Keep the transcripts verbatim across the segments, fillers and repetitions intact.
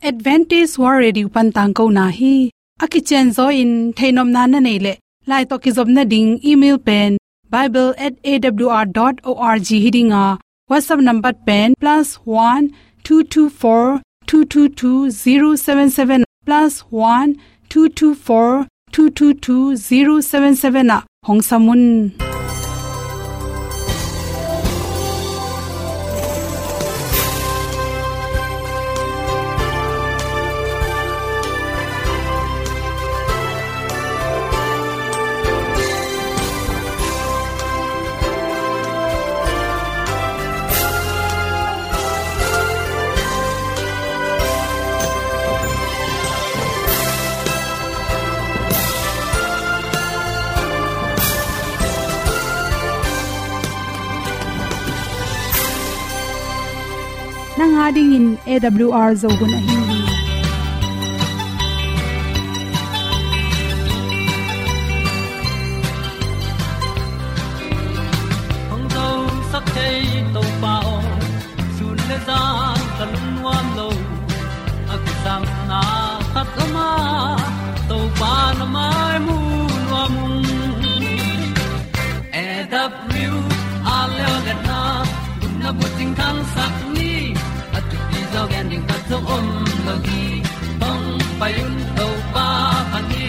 Adventist World Radio pan tangkona hi. A kicianzaw in theihnopna na neih leh, lai tawh kizopna ding email pen bible at A W R dot org hi ding a, WhatsApp number pen plus one two two four two two two zero seven seven, plus one two two four two two two zero seven seven ah hong sam un. Nang a dingin A W R Zo hun ahi hi. Hong zosak thei Topa aw, sun le zan ka lungnuam lo. A kisapna khat om a, Topa na mai mu nuam ung. A W R Zo hun a, gupna bucing thangsak ni. A thupi zaw gen ding khat zong om lo hi. Hong pai un Topa phat ni.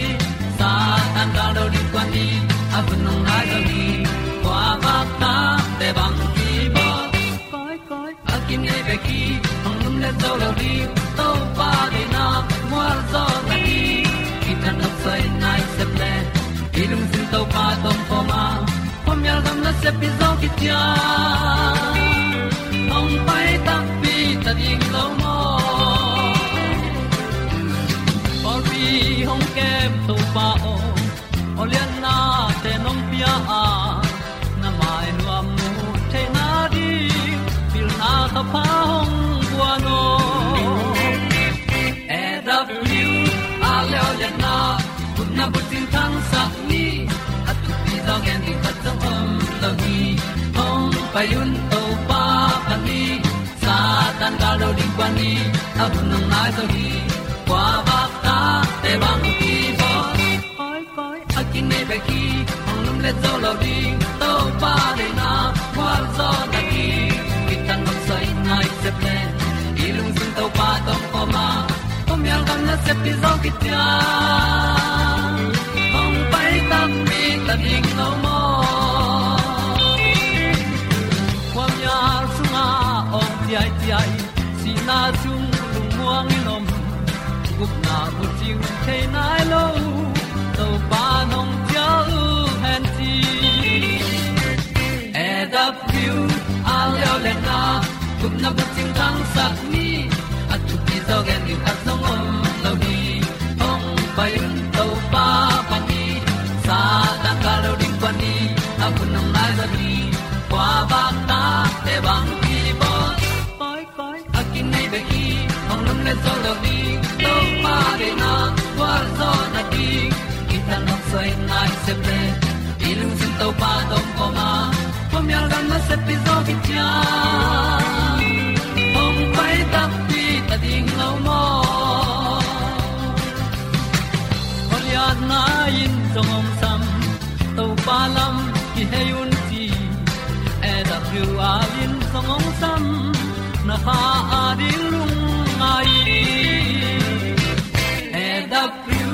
Satan gal do ding kuan ni. A hun hong nai zo hi. Kua vak ta te bang ki bawl. Koi, koi. A kinei bek hi, hong lumlet zo lo ding. Topa deihna mual zawh nading, kithat nopsai nai sep leh, i lungsim Topa tawh om khawm a, khuamial gam nasep hi zaw kician. Hong pai takpi ta ding lo maw? Pawlpi hong kem Topa aw, awlianna te nong pia a, na mai nuam mu theihna ding, pilna thapha hong guan aw. A W R Zo hun a, gupna bucing thangsak ni. A thupi zaw gen ding khat zong om lo hi. Hong pai un Topa phat ni. Satan gal do ding kuan ni. A hun hong nai zo hi. Kua vak ta te bang ki bawl. Koi, koi. A kinei bek hi, hong lumlet zo lo ding. Topa deihna mual zawh nading, kithat nopsai nai sep leh, i lungsim Topa tawh om khawm a, khuamial gam nasep hi zaw kician. Hong pai takpi ta ding lo maw? Khuamial sungah awng ciaiciai, sihna sung lungmuang in om, gupna bucing thei nai lo, Topa nong cial hen ci. A W R Zo hun a, gupna bucing thangsak ni. A thupi zaw gen ding khat zong om lo hi. Hong pai un Topa phat ni. Satan gal do ding kuan ni. A hun hong nai zo hi. Kua vak ta te bang ki bawl. Koi, koi. A kinei bek hi, hong lumlet zo lo ding. Topa deihna mual zawh nading, kithat nopsai nai sep leh, i lungsim Topa tawh om khawm a, khuamial gam nasep hi zaw kician. Hong pai takpi ta ding lo maw? Awlianna in zong hong sam, Topa lam kihei un ci. A W R in zong hong sam, na kha a ding lungngai. A W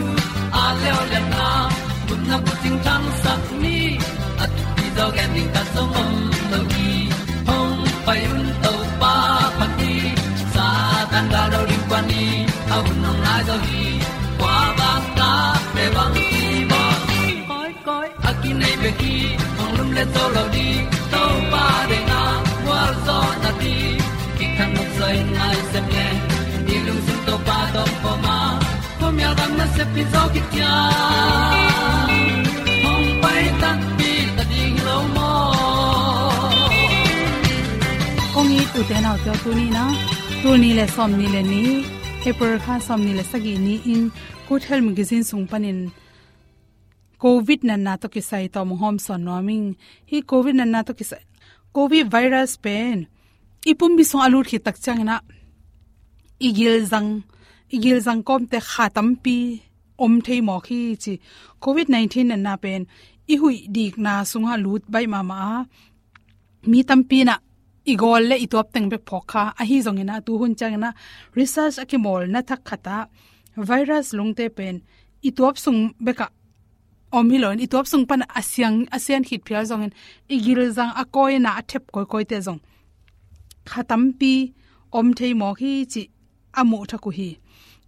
R Zo hun a, gupna bucing thangsak ni. A thupi zaw gen ding khat zong om lo hi. Hong pai un Topa phat ni. Satan gal do ding kuan ni. A hun hong nai zo hi. Kua vak ta te bang ki bawl. Koi, koi. A kinei bek hi, hong lumlet zo lo ding. Topa deihna mual zawh nading, kithat nopsai nai sep leh, i lungsim Topa tawh om khawm a, khuamial gam nasep hi zaw kician. Hong pai takpi ta ding lo maw? Kong it u te nau te aw, tuni in a, tul nih le sawmnih le nih, April kha sawmnih le sagih ni-in Good Health Magazine sung panin Covid natna tawh kisai tawm hong hawmsawn nuam ing. Hih Covid natna tawh kisai, Covid virus pen i pumpi sung a lut khit tak ciangin a, i gilzang i gilzang kawmte kha tampi om thei mawk hi ci. Covid nineteen natna pen i huih dikna sungah lut baih mahmah a, mi tampi inah i gawl le i tuap teng bek phawk kha. Ahi zongin ah tu hun ciangin ah research a kimawlna thak khatah virus lungte pen i tuap sung bekah om hi loin, i tuap sung pan a siang, a sian khit phial zongin i gilzang a kawina a thep kawikawite zong kha tampi om thei mawk hi cih a muh thak uh hi.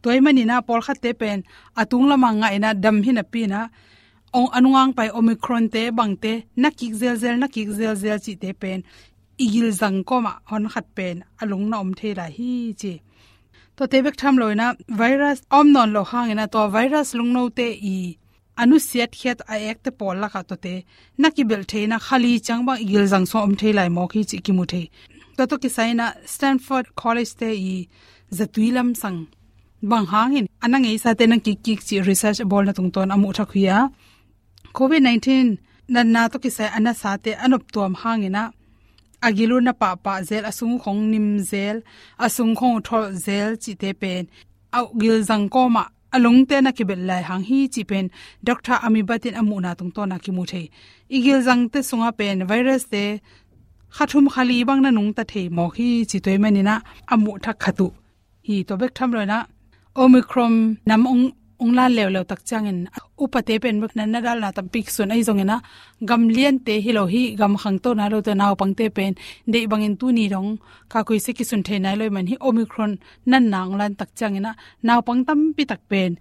Tua ahih manin ah pawlkhatte pen a tung lamah ngah inah dam hi napi inah, ong, a nungang pai Omicron te bangte na kik zelzel, na kik zelzel cihte pen i gilzang kawmah hon khat pen a lung na om thei lai hi ci. Tuate bek tham loin ah virus a om nawn loh hangin ah tua virus lungnote i a nusiat khiat a ekte pawl lakah tuate na kibelh theihna kha li ciang bang i gilzang sungah om thei lai mawk hi cih kimu thei. Tua tawh kisai inah Stanford College te i zatui lamsang bang hangin a na ngeisate na kikkik cih research a bawlna tungtawn a muh thak uh hi a, Covid nineteen natna tawh kisai a nasate a noptuam hangin ah a gil uh na pahpah zel, a sung uh khong nim zel, a sung khong uh tholh zel cihte pen a gilzang kawmah a lungte na kibelh lai hang hi cih pen Doctor Amibat in a muhna tungtawn a kimu thei. I gilzangte sungah pen virus te kha thum kha li bang na nungta thei mawk hi ci. Tua ahih manin ah a muh thak khat uh hi. Tua bek tham loin ah Omicron nam ong, ong lan leuleu tak ciangin upate pen bek natna dalna tampi kisun. Ahi zongin ah gam liante hi lo hi, gam khangto nai lote naupangte pen deih bangin tuni dong kha kuise kisun thei nai lo ahih man hi. Omicron natna ong lan tak ciangin ah naupang tampi tak pen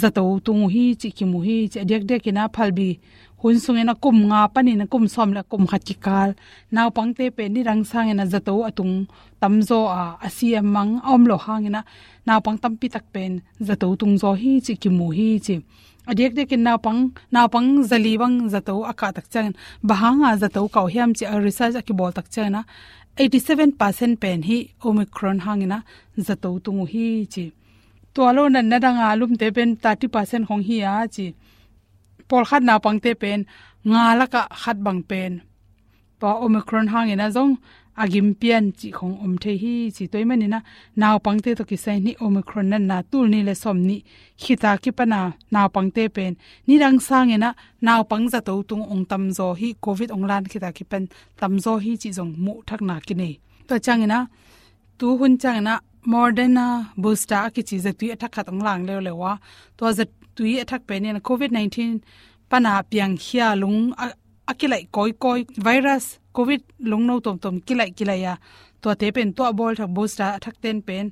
zato tung uh hi cih kimu hi ci. A diakdiakin ah phalbi hun sungin ah kum nga panin ah kum sawm le kum khat kikal naupangte pen nidang sangin ah zato a tung tamzaw a, a si a mang a om loh hangin ah naupang tampi tak pen zato tungzaw hi cih kimu hi ci. A diakdiakin naupang, naupang zali bang zato a kah tak ciangin bang hanga zato kah uh hiam cih a research a kibawl tak ciangin ah eighty seven percent pen hi Omicron hangin ah zato tung uh hi ci. Tua lo natna danga lumte pen thirty percent khong hi a ci. Pawlkhat naupangte pen nga lakah khat bang pen tua Omicron hangin ah zong a gim pian cih khong om thei hi ci. Tua ahih manin ah naupangte tawh kisai in hi Omicron natna tul nih le sawm nih khita kipan a naupangte pen nidang sangin ah naupang zato tung ong tamzaw hi, Covid ong lan khita kipan tamzaw hi cih zong muh thakna kinei. Tua ciangin ah tu hun ciangin ah Moderna booster a kici zatui a thak khat ong lang leuleu a, tua zatui a thak pen in Covid nineteen pan a piangkhia lung a, a kilaih kawikawi virus Covid lungno tuamtuam kilaih kilaih a, tuate pen tua bawl thak booster a thak ten pen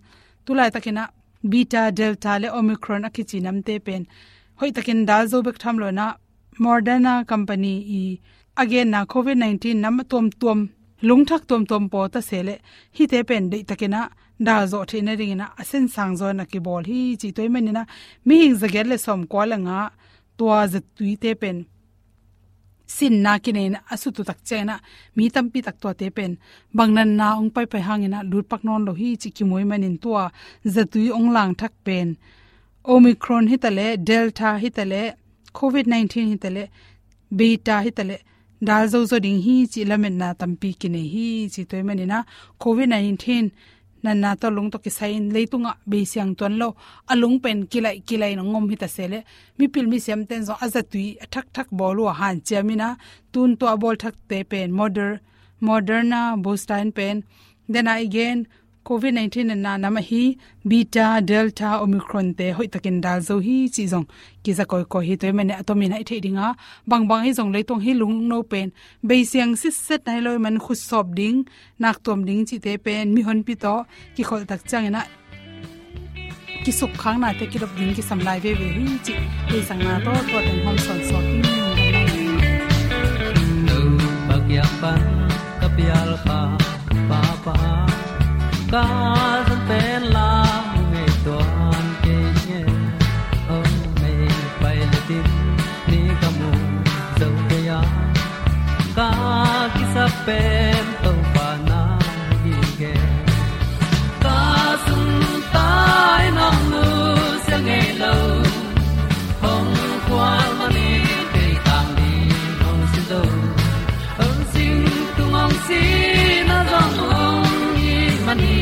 tu laitakin ah Beta, Delta le Omicron a kici namte pen hoihtakin dal zo bek tham loin ah Moderna company i a genna Covid nineteen nam tuamtuam, lungthak tuamtuam pawl ta se leh hihte pen deihtakin ah dal zawh theih nadingin ah a sensang zaw in a kibawl hi ci. Tua ahih manin ah mihing zagiat le sawmkua le nga tua zatuite pen sinna kinei in a sut uh tak ciangin ah mi tampi tak tuate pen bang natna ong paipai hangin ah lutpak nawn lo hi cih kimu ahih manin tua zatui ong lang thak pen Omicron hi ta leh, Delta hi ta leh, Covid nineteen hi ta leh, Beta hi ta leh dal zozo ding hi cih lametna tampi kinei hi ci. Tua ahih manin ah Covid nineteen natna tawh lung tawh kisai in leitungah beisiang tuan lo, a lung pen kilaih kilaih in ong om hi ta se leh mipil misiamten zong a zatui a thakthak bawl uh a hanciam in ah tun tua bawl thakte pen Moder-, Moderna booster in pen, then ah i gen Covid nineteen natna nam ahi Beta, Delta, Omicron te hoihtakin dal zo hi cih zong kiza kawikawi hi. Tua ahih manin a tomin ah i theih ding a, bangbang ahi zong leitung hi lungno pen beisiang sitset nai lo ahih man khutsawp ding, naktuam ding cihte pen mihonpi tawh kikholh tak ciangin ah kisukkhaknate kidop ding kisam lai veve hi cih theihsakna tawh tua teng hong sawnsawn hi. Topa kiang pan ka pial pha, pha, pha, ka zan pen la ngei tuan kei nge. Oh, mei pai le tin ni ka mu zo kei a, ka kisap pen Topa na hi nge. Ka sung tai nong nusia ngei lo, hong kual mani kei tang ni hong si zo. Hong sing tung hong si na zong hong hi mani,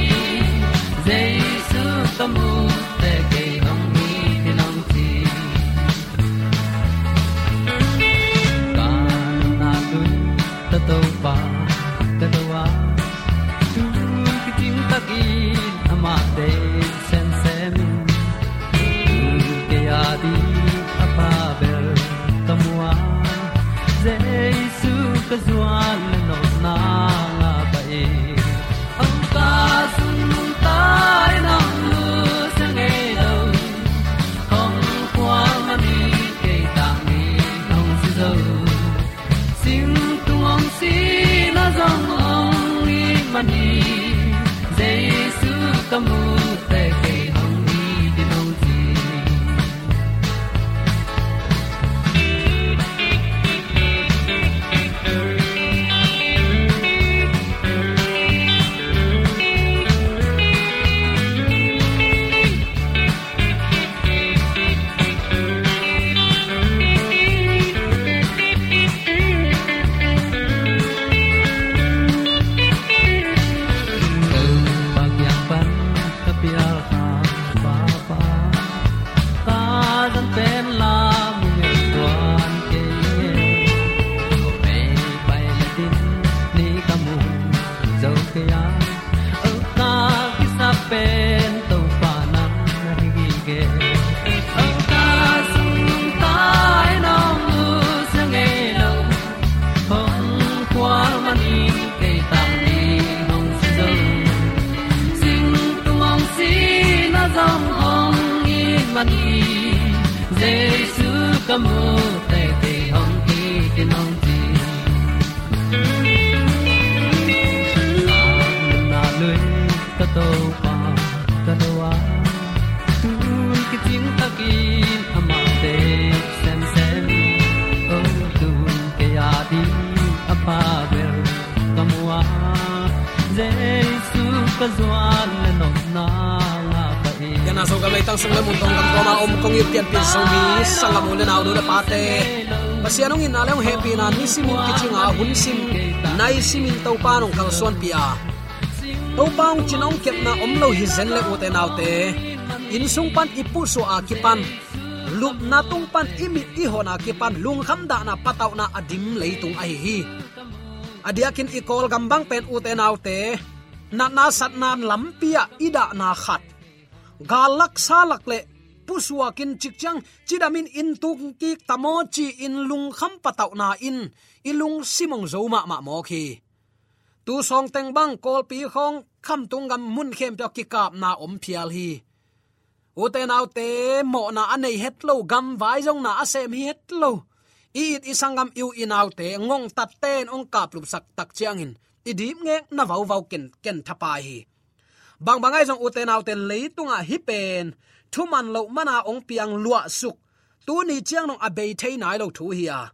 Mah deih semsem in, tu kei a ding a pha bel ka mu a, Jesu ka zuan le nopna ngah pah in. Hong ka sung nungta in hong lusia ngei lo, hong khual man hi, kei tang ni hong si zo. Sing tung hong si na zong hong it man hi, Jesu ka mu teh kei hong it in hong ci. Topa kiang pan ka pial kha, Papa, ka zan pen la mu ngei tuan kei e. Ko mei pai le din ni ka mu zo kei a, o ka kisap pen Topa nang na hi gige. O ka sung tai nong lusia ngei lo, hong khual man hi, kei tang ni hong si zo. Sing tung hong si na zong hong it man hi, Jesu ka mu teh kei hong it in hong ci. Ka nunna lui ka Topa ka do a, tun kicing takin amah deih semsem. O, tun kei a ding a pha bel ka mu a, Jesu ka zuan le nopna ngah pah in. Pianna Zogam leitang sung le mun tawng gam kawma om kong it pianpih Zomi sanggam u le nau, nu le pate, Pasian hong itna le hong hehpihna nisimin kicing a, hun sim nai simin Topa in hong kalsuanpih a, Topa hong cin hong kepna om lo hi zen le, ute naute, inn sung pan i pusuah a kipan, lupna tung pan i mit i hon a kipan lungkham dahna patauhna a dim leitung ahi hi. A diakin i Kawlgam bang pen, ute naute, natna satna lampi ah i dahna khat, gal lak sa lak le pusuakin, cik ciang cidamin inn tung kik ta maw ci-in lungkham patauhna in i lungsim hong zo mahmah mawk hi. Tu sawngteng bang Kawlpi khawng khamtung gam mun khempeuh ah kikapna om phial hi. Ute naute, mawhna a nei het lo, gamvai zong na a sem hi het lo, i it i sanggam, i u i naute ngongtatte in hong kaplupsak tak ciangin i dipngekna vauvau ken, ken thapai hi. Bangbang ahi zong, ute naute, leitungah hih pen thuman loh mana hong piang luahsuk, tuni ciang dong a bei thei nai lo thu hi a.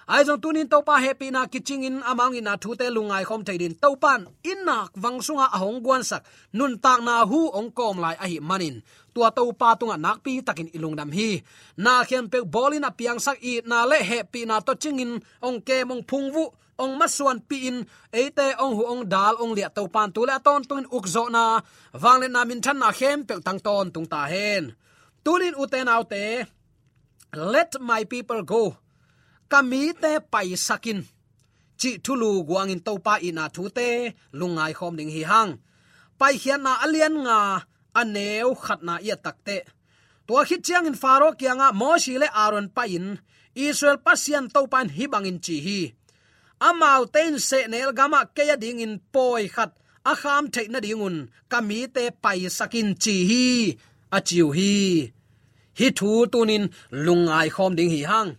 Ahi zong tunin Topa hehpihna kicingin amah hong itna thute lungngai khawm thei dingin Topa in i nak vang sungah a hong guansak nuntakna hu hong kawm lai ahih manin, tua Topa tungah nakpi takin i lungdam hi. Na khempeuh bawlin a piangsak, itna le hehpihna tawh cingin hong kem, hong phungvuh, hong masuanpih in, eite hong huh hong dal hong liah Topa in tu le a tawntungin ukzawhna, vangliatna, minthanna khempeuh tang tawntung ta hen. Tunin, ute naute, "Let my people go," ka mite paisak in, cih thulu guangin Topa itna thute lungngai khawm ding hi hang. Paikhiatna a lian nga, a neu khatna i et takteh, tua khit ciangin Faro kiangah Mosi le Aaron pai-in, "Israel Pasian Topa in hih bangin ci hi: Amaute in sehnel gamah kei adingin pawi khat a kham theih nadingun ka mite paisak in," ci hi, a ci uh hi. Hih thu tunin lungngai khawm ding hi hang.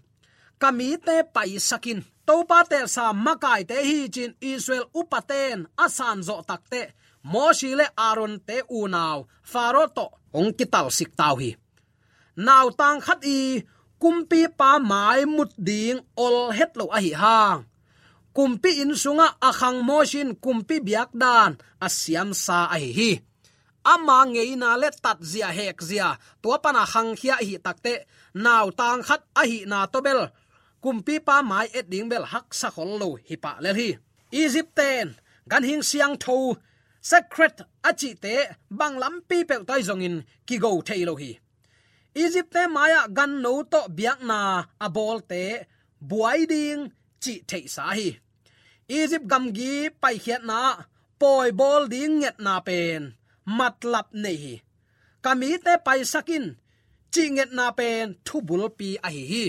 "Ka mite paisak in." Topa teelsa makaite hi ci-in Israel upate in a sanzawh takteh, Mosi le Aaron-te unau Faro tawh hong kitalsik ta uh hi. Nautang khat i kumpipa mai mut ding ol het lo ahi hang, kumpi inn sungah a khang Mosi in kumpi biakdan a siamsa ahi hi. Ama ngeina le tatzia hekzia tua pana khangkhia ahih takteh, nautang khat ahihna tawh bel kumpipa mai et ding bel haksa khol lo hi pah lel hi. Egypt-te in ganhing siangtho, secret a cihte bang lampi peuh tawh ahi zongin kigo thei lo hi. Egypt-te mai-ah ganno tawh biakna a bawlte buai ding cih theihsa hi. Egypt gamgi paikhiatna ah pawi bawl ding ngetna pen matlap nei hi. Ka mite paisak in, cih ngetna pen thubulpi ahi hi.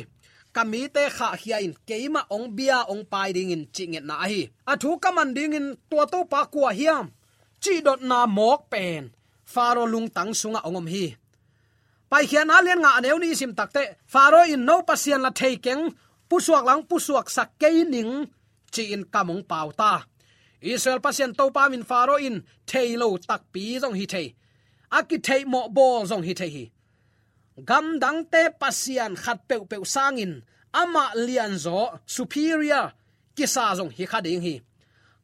Ka mite khahkhia in, keimah hong bia hong pai dingin cih ngetna ahi. A thu ka man dingin tua Topa kua hiam, cih dotna mawk pen Faro lungtang sungah hong om hi. Paikhiatna lian nga a neu nih i sim takteh, Faro in, no Pasian la thei keng, pusuak lang pusuaksak kei ning, ci-in kam hong pau ta. Israel Pasian Topa min Faro in thei lo takpi zong hi thei, a kitheihmawh bawl zong hi thei hi. Gamdangte pasian khat peuhpeuh sangin amah lianzaw, superior, kisa zong hi kha ding hi.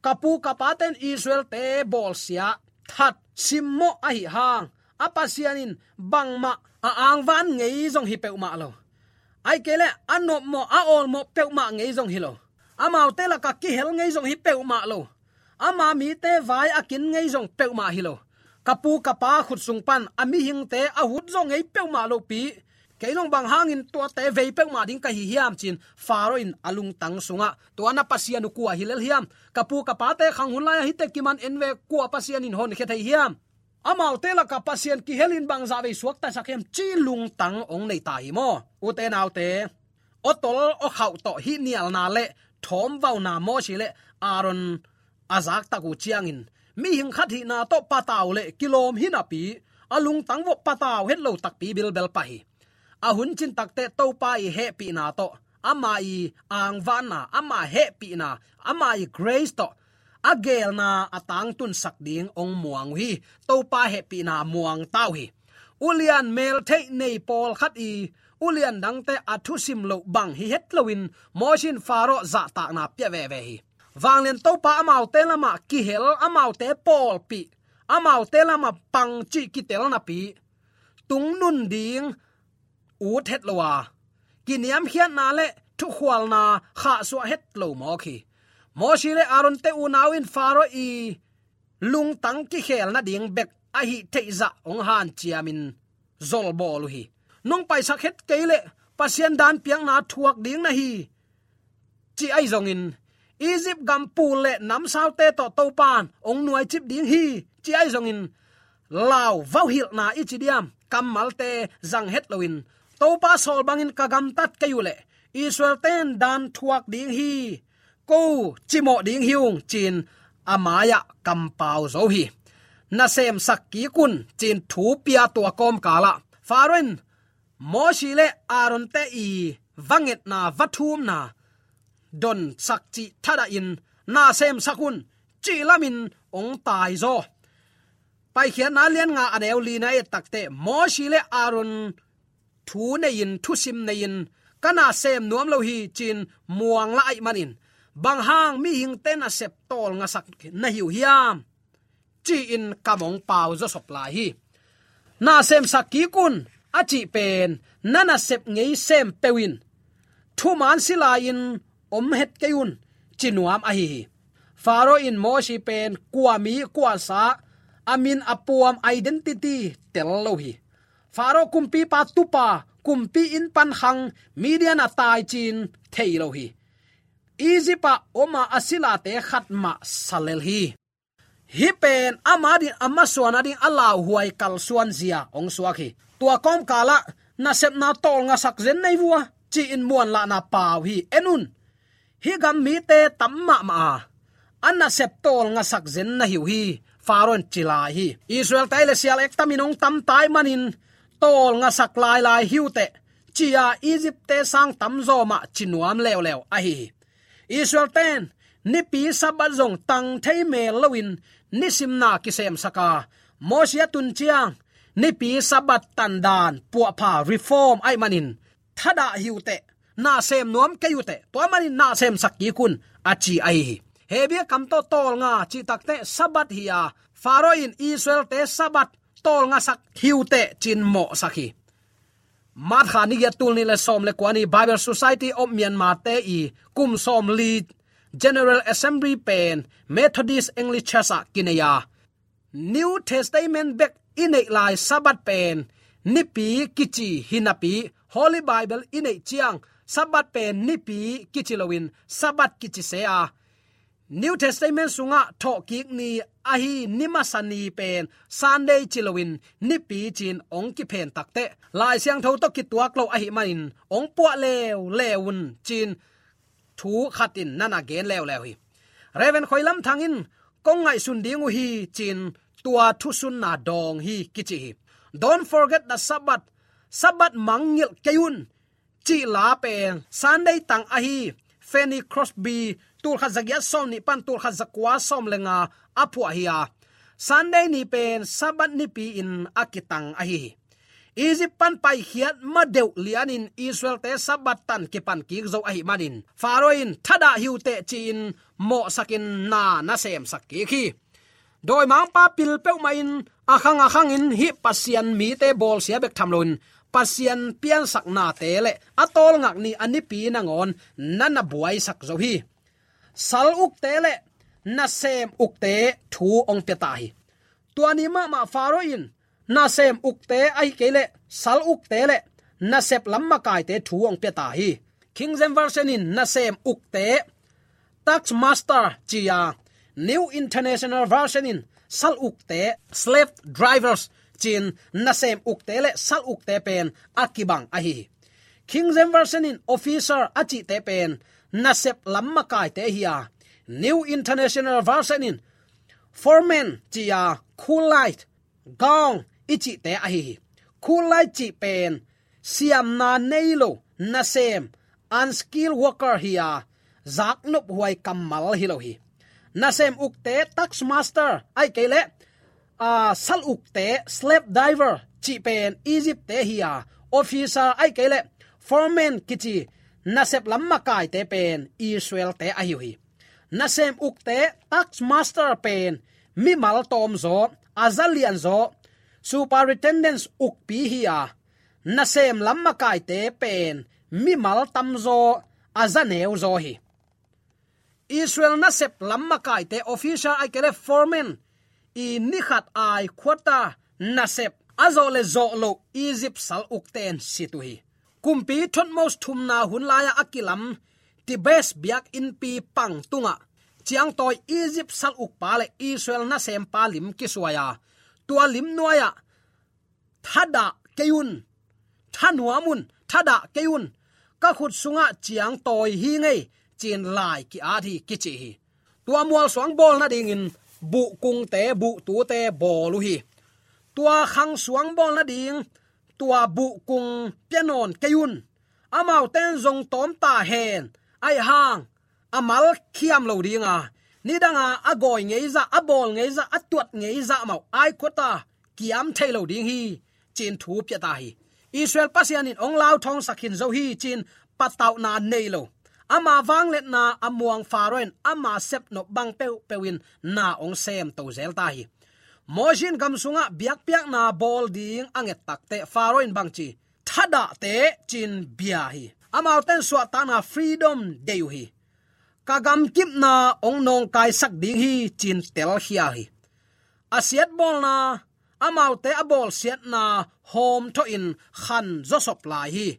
Ka pu ka pate in Israelte bawlsia, that, simmawh ahi hang, a Pasian in bangmah a angvan ngei zong hi peuhmah lo. Ahih kei leh a nopmawh, a awlmawh peuhmah ngei zong hi lo. Amaute lakah kihel ngei zong hi peuhmah lo. Ama mite vai a kin ngei zong peuhmah hi lo. Ka pu ka pa khut sung pan a mihingte a hut zong ngei peuhmah lopi, kei zong bang hangin tuate vei peuhmah ding ka hi hiam, ci-in Faro in a lungtang sungah, tua na Pasian uh kua hi lel hiam? Ka pu ka pate khang hun lai-ah hihte kiman en ve, kua Pasian in honkhia thei hiam? Amaute lakah Pasian kihel in bangzah vei suaktasak hiam, ci lungtang hong nei ta hi maw? Ute naute, awtol awkhauh tawh hih nialna le thawmvauna Mosi le Aaron a zaktak uh ciangin, mihing khat hihna tawh patau le kilawm hi napi, a lungtang vawh patau het lo takpi bilbel pah hi. A hun cin takteh Topa i hehpihna tawh, ama i angvanna, ama hehpihna, ama i grace tawh a geelna a tangtunsak ding hong muang uh hi. Topa hehpihna muang ta uh hi. Ulian meltheih nei pawlkhat i ulian dangte a thusim loh bang hi het loin Mosi in Faro zahtakna pia veve hi. Vanglian Topa amaute lamah kihel, amaute pawlpih, amaute lamah pang cih kitel napi, tungnun ding ut het lo a, kiniamkhiatna le thukhualna khahsuah het lo mawk hi. Mosi le Aaron-te unau in Faro i lungtang kikhel nading bek a hih theihzah hong hanciamin zolbawl uh hi. Nong paisak het kei leh Pasian dan piakna thuak ding na hi, ci ahi zongin, Egypt gam pul le namsaute tawh Topa in hong nuaicip ding hi, ci ahi zongin, lau vauhilhna i ci diam, kammalte zang het loin, Topa sawl bangin ka gamtat kei uh leh Israel-te in dan thuak ding hi, ko cimawh ding hi ung, ci-in a mai-ah kampau zo hi. Nasemsak kik un, ci-in thu pia tua kawmkalah Faro in Mosi le Aaron-te i va ngetna, va thumna donsak cih thadahin, nasemsak un, cih lamin hong taizaw. Paikhiatna lian nga a neu lina et takteh, Mosi le Aaron thu nei-in, thusim nei-in, ka nasem nuam lo hi, ci-in muang lah ahih manin, bang hang mihingte nasep tawlngasak na hi uh hiam, ci-in kam hong pau zawsop lai hi. Nasemsak kik un a cih pen, na nasep ngei sem peuh in, thuman si lai-in om het kei un, ci nuam ahi hi. Faro in Mosi pen kua mi, kua sa, a min, a puam, identity tel lo hi. Faro kumpipa tupa, kumpi inn pan khang, Midian a tai ci-in thei lo hi. Egypt ah om a, a silate khat mah sa lel hi. Hih pen ama ding, a masuan a ding a lauhuai kalsuan zia hong suak hi. Tua kawmkalah, nasepna tawlngasak zen na hi uh a, ci-in muanlahna pau hi. En un, hih gam mite tam mahmah a, a nasep tawlngasak zen na hi uh hi, Faro in ci lai hi. Israel-te le sial ektamin hong tam ta ahih manin, tawlngasak lailai hi uh teh, ci-a Egypt-te sang tamzaw mah ci nuam leuleu ahi hi. Israel-te in nipi Sabbath zong tang thei mel loin nisimna kisemsak a, Mosi a tun ciang nipi Sabbath tandan puahpha, reform, ahih manin thadah hi uh teh, nasem nuam kei uh teh, tua manin nasemsak kik un, a ci ahi hi. Hebru kam tawh tawlnga cih takteh Sabbath hi a, Faro in Israel-te Sabbath tawlngasak hi uh teh, ci-in mawhsak hi. March kha ni giat, tul nih le sawm le kua ni, Bible Society of Myanmar-te i kum sawmli General Assembly pen Methodist English Church ah kinei a, New Testament bek i neih lai Sabbath pen nipi kici hi napi, Holy Bible i neih ciang Sabbath pen nipi kici loin Sabbath kici se a, New Testament sungah thawhkik ni ahi ni masa ni pen Sunday ci loin nipi ci-in hong kiphen takteh, Lai Siangtho tawh kituak lo ahih manin hong puah leuleu un ci-in thu khat in na na gen leuleu hi. Reverend Khoi Lam Thang in kong ngaihsun ding uh hi ci-in tua thusunna dawng hi kici hi. Don't forget the Sabbath. Sabbath mangngilh kei un cih la pen Sunday tang ahi. Fanny Crosby, tulkhat zagiat sawm nih pan tulkhat zakua sawm le nga a phuah hi a, Sunday ni pen Sabbath nipi-in a kitang ahi hi. Egypt pan paikhiat ma deuh lianin Israelte Sabbath tan kipan kik zo ahih manin Pharaoh in thadah hi uh teh ci-in mawhsakin na na semsak kik hi. Dawimangpa pil peuhmah in a khang a khangin hih Pasian mite bawlsia bek tham loin Pasian piansaknate le a tawlngak ni a nipi nangawn na na buaisak zo hi. Sal ukte le nasem ukte thu hong pia ta hi. Tua ni mahmah Pharaoh in nasem ukte ahi kei leh sal ukte le nasep lam makaite thu hong pia ta hi. King James Version in nasem ukte, tax master ci a, New International Version in sal ukte, slave drivers ci-in nasem ukte le sal ukte pen a kibang ahi hi. King James Version in officer a cihte pen nasep lam makaite hi a, New International Version in foreman ci a, cool light, gong i cihte ahi hi. Cool light cih pen siamna nei lo nasem, unskilled worker hi a, zaknop huai kammal hi lo hi. Nasem ukte, tax master ahi kei leh, a, sal ukte, slave driver cih pen Egypt-te hi a, officer ahi kei leh foreman kici nasep lam makaite pen Israel-te ahi uh hi. Nasem ukte, tax master pen mimal tawmzaw, a za lianzaw, superintendence ukpi hi a, nasem lam makaite pen mimal tamzaw, a za neuzaw hi. Israel nasep lam makaite, officer ahi kei leh foreman i ni khat ai khuata nasep a zawh le zawh loh Egypt sal ukten sit uh hi. Kumpi Thutmose thumna hun lai-ah a kilam Thebes biakinnpi pang tungah ciangtawi Egypt sal ukpa le Israel nasempa lim kisuai a, tua lim nuai-ah thadah kei un, thanuam un, thadah kei un, ka khut sungah ciangtawi hi ngei ci-in lai ki-at hi kici hi. Tua mualsuang bawl nadingin buhkungte, buhtute bawl uh hi. Tua khangsuang bawl nading tua buhkung pia nawn kei un. Amaute'n zong tawm ta hen, ahi hang a mal khiam lo ding a, nidanga a gawi ngeizah, a bawl ngeizah, a tuat ngeizah mah uh ai khuata kiam thei lo ding hi ci-in thu pia ta hi. Israel Pasian in hong lauthawngsak khin zo hi ci-in patauhna nei lo, ama vangliatna a muang Pharaoh in ama sepnop bang peuhpeuh in na hong semto zel ta hi. Moses in gam sungah biakpiakna bawl ding a nget takteh Pharaoh in bangci, thadah teh ci-in bia hi. Amaute'n suahtakna, freedom, deih uh hi. Ka gamkipna hong nawngkaisak ding hi ci-in telkhial hi. A siatbawlna, amaute a bawlsiatna hawmthawhin khan zawsop lai hi.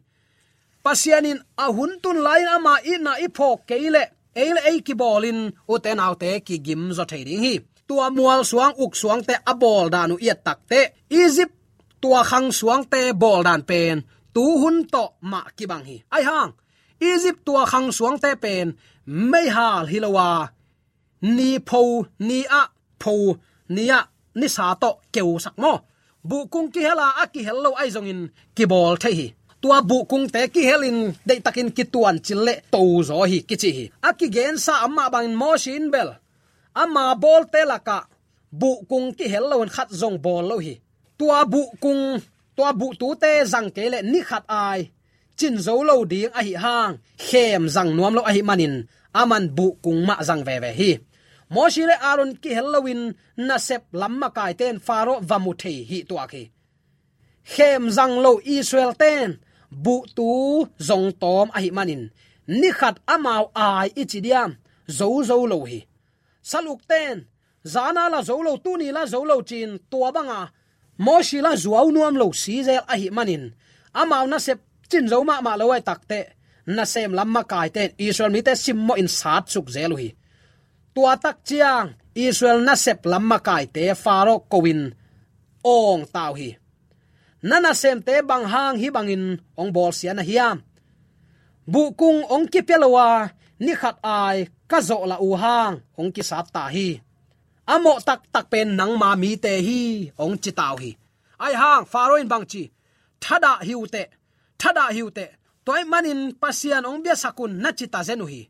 Pasian in a hun tun lai-in ama itna i phawk kei leh ei le ei kibawlin ute naute kigim zaw thei ding hi. Tua mualsuang uksuangte a bawl dan uh i et takteh Egypt tua khangsuangte bawl dan pen tuhun tawh mah kibang hi. Ahi hang Egypt tua khangsuangte pen meihal hi lo a, ni pho ni-ah, pho ni-ah nisa tawh keusak maw, buhkung kihel a, a kihel lo ahi zongin kibawl thei hi. Tua buhkungte kihelin deihtakin kituancil le tozaw hi kici hi. A kigensa amah bangin Moses in bel ama bawlte lakah buhkung kihel loin khat zong bawl lo hi. Tua buhkung, tua buhtute zang kei leh ni khat ai cin zo lo ding ahi hang khem zang nuam lo ahi manin aman buhkung mah zang veve hi. Moses le Aaron kihel loin nasep lam makaite'n Pharaoh va mu thei hi tuak hi. Khem zang lo Israel-te'n buhtu zong tawm ahi manin ni khat amau ai i ci diam, zo zo lo hi. Sal ukte'n zana la zo lo, tuni la zo lo ci-in tua banga Moses la zuau nuam lo si zel ahi manin amau nasep cin zo mahmah lo ahi takteh nasem lam makaite'n Israel mite simmawhin satsuk zel uh hi. Tua tak ciang Israel nasep lam makaite Faro ko-in awng ta uh hi. Na nasemte bang hang hih bangin hong bawlsia na hiam? Buhkung hong kipia lo a, ni khat ai ka zawhlah uh hang hong kisat ta hi. A mawh taktak pen nangma mite hi, hong ci ta uh hi. Ahi hang Faro in bang ci? Thadah hi uh teh, thadah hi uh teh. Tua ahih manin Pasian hong biasak un, na ci ta zen uh hi.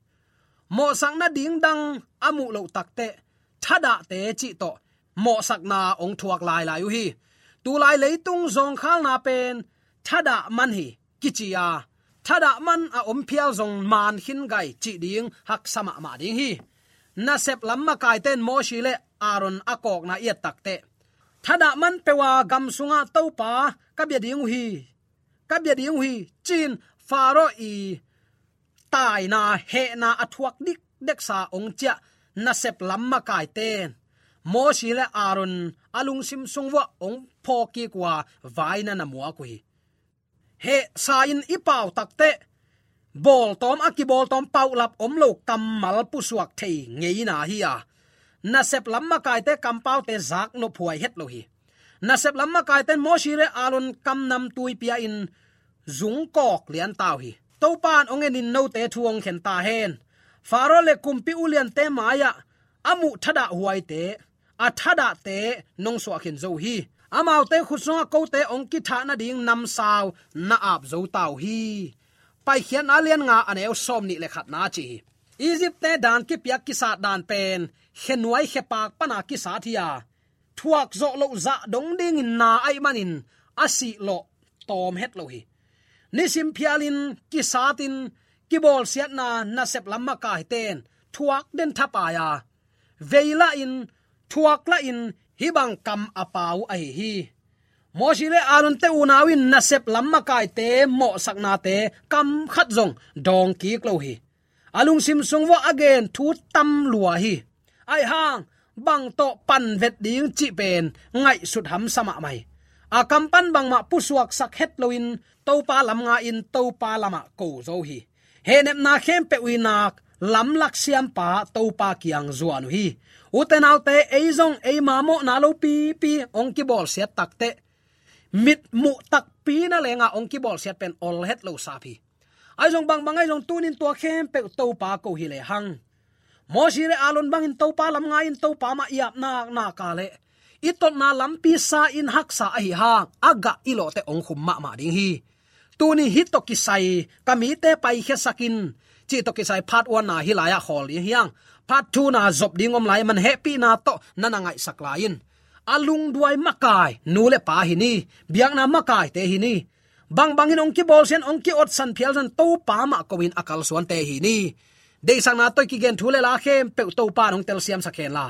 Mawhsak nading dang a muh loh tak teh, thadahte cih tawh mawhsakna hong thuak lailai uh hi. Tulai leitung zawngkhalna pen thadah man hi kici a, thadah man a om phial zong man khin gai cih ding haksa mahmah ding hi. Nasep lam makaite in Mosi le Aaron a kawkna i et tak teh, thadah man peuh a gam sungah Topa ka bia ding uh hi, ka bia ding uh hi, ci-in Faro i taina, hehna a thuak dikdeksa hong ciah nasep lam makaite in Mosi le Aaron a lungsim sung vuah hong phawk kik uh a, vaina na muak uh hi. Hehsa in i pau tak teh, bawltawm, a kibawltawm paulap om lo kammal pusuak thei ngeina hi a, nasep lam makaite kampaute zaknop huai het lo hi. Nasep lam makaite in Mosi le Aaron kamnam tuipi ah in zungkawk lian ta uh hi. Topa in hong en in, note thu hong khen ta hen. Faro le kumpi uliante mai-ah a muh thadah huaite, a thadahte nong suah khin zo uh hi. Amaute khut sungah kote hong kithah nading namsau na ap zo ta uh hi. Paikhiatna lian nga, a neu sawmnih le khatna ci hi. Egypt-te dan kipiak kisat dan pen khenuai khepak pana kisat hi a, thuak zawh loh zah dong dingin na ahih manin a sihlawh tawm het lo hi. Nisim phialin kisatin kibawlsiatna nasep lam makaite in thuak den thapai a, veilahin, thuaklahin hih bang kam a pau ahi hi. Mosi le Aaron-te unau in nasep lam makaite mawhsaknate kam khat zong dawng kik lo hi. A lungsim sung vuah a gen thu tam lua hi. Ahi hang bang tawh panvet ding cih pen ngaihsut hamsa mahmah hi. A kam pan bangmah pusuaksak het loin Topa lam nga-in Topa lamah ko zo hi. Hehnepna khempeuh i nak lamlak siampa Topa kiang zuan uh hi. Ute naute, ei zong eima mawhna lopipi hong kibawlsiat tak teh, mit muh takpi na lengah hong kibawlsiat pen ol het lo sap hi. Ahi zong bangbang ahi zong tunin tua khempeuh Topa ko hi lehang, Mosi le Aaron bangin Topa lam nga-in Topa mah i ap naknak a leh i totna lampi sa-in haksa ahi hang a gah i lawhte hong khum mahmah ding hi. Tuni hih tawh kisai, ka mite paikhiasak in cih tawh kisai part one-na hih lai-ah khawl ding hi hang. Part two-na zop ding om lai, man hehpihna tawh na na ngaihsak lai in. A lungduai makai nu le pa hi ni. Biakna makaite hi ni. Bangbangin hong kibawlsiat, hong ki-otsan phial zong Topa mah ko-in a kalsuante hi ni. Deihsakna tawh i kigen thu le la khempeuh Topa in hong telsiamsak hen la,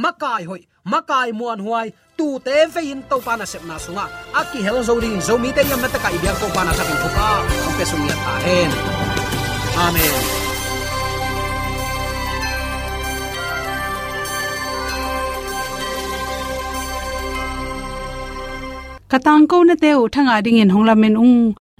makai hoih, makai muanhuai, tuute vei-in Topa nasepna sungah a kihel zo dingin Zomite i omna tekah i biak Topa in a thakin thupha hong pia sung ngiat ta hen. Amen. Ka tangkonate uh thangah dingin hong lamen ung.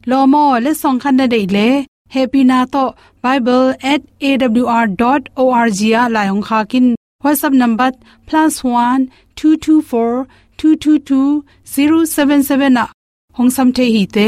Lawm aw, letsong khat na deih leh hehpihna tawh bible at A W R dot O R G ah lai hong khak in. WhatsApp number plus one two two four two two two zero seven seven ah hong sam thei hi te.